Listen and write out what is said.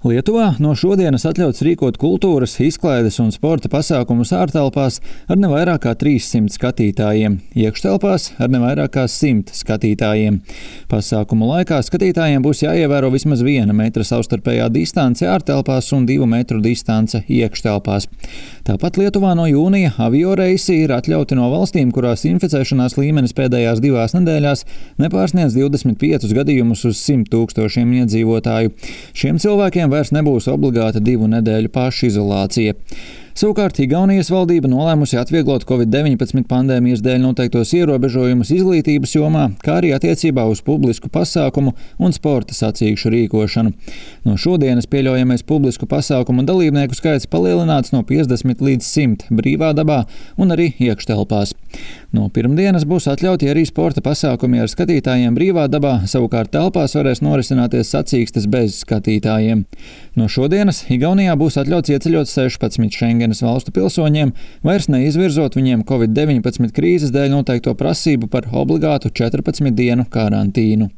Lietuvā no šodienas atļauts rīkot kultūras, izklaides un sporta pasākumus ārtelpās ar ne vairāk kā 300 skatītājiem, iekštelpās ar ne vairāk kā 100 skatītājiem. Pasākumu laikā skatītājiem būs jāievēro vismaz 1 metra savstarpējā distance ārtelpās un 2 metru distance iekštelpās. Tāpat Lietuvā no jūnija avioreisi ir atļauti no valstīm, kurās inficēšanās līmenis pēdējās 2 nedēļās nepārsniedz 25 gadījumus uz 100 000 iedzīvotāju. Šiem cilvēkiem vairs nebūs obligāta 2 nedēļu pašizolācija. Savukārt Igaunijas valdība nolēmusi atvieglot Covid-19 pandēmijas dēļ noteiktos ierobežojumus izglītības jomā, kā arī attiecībā uz publisku pasākumu un sporta sacīkšu rīkošanu. No šodienas pieļaujamais publisku pasākumu dalībnieku skaits palielināts no 50 līdz 100 brīvā dabā un arī iekštelpās. No pirmdienas būs atļauti arī sporta pasākumi ar skatītājiem brīvā dabā, savukārt telpās varēs norisināties sacīkstes bez skatītājiem. No šodienas Igaunijā būs atļauts ieceļot 16 Schengenas valstu pilsoņiem, vairs neizvirzot viņiem Covid-19 krīzes dēļ noteikto prasību par obligātu 14 dienu karantīnu.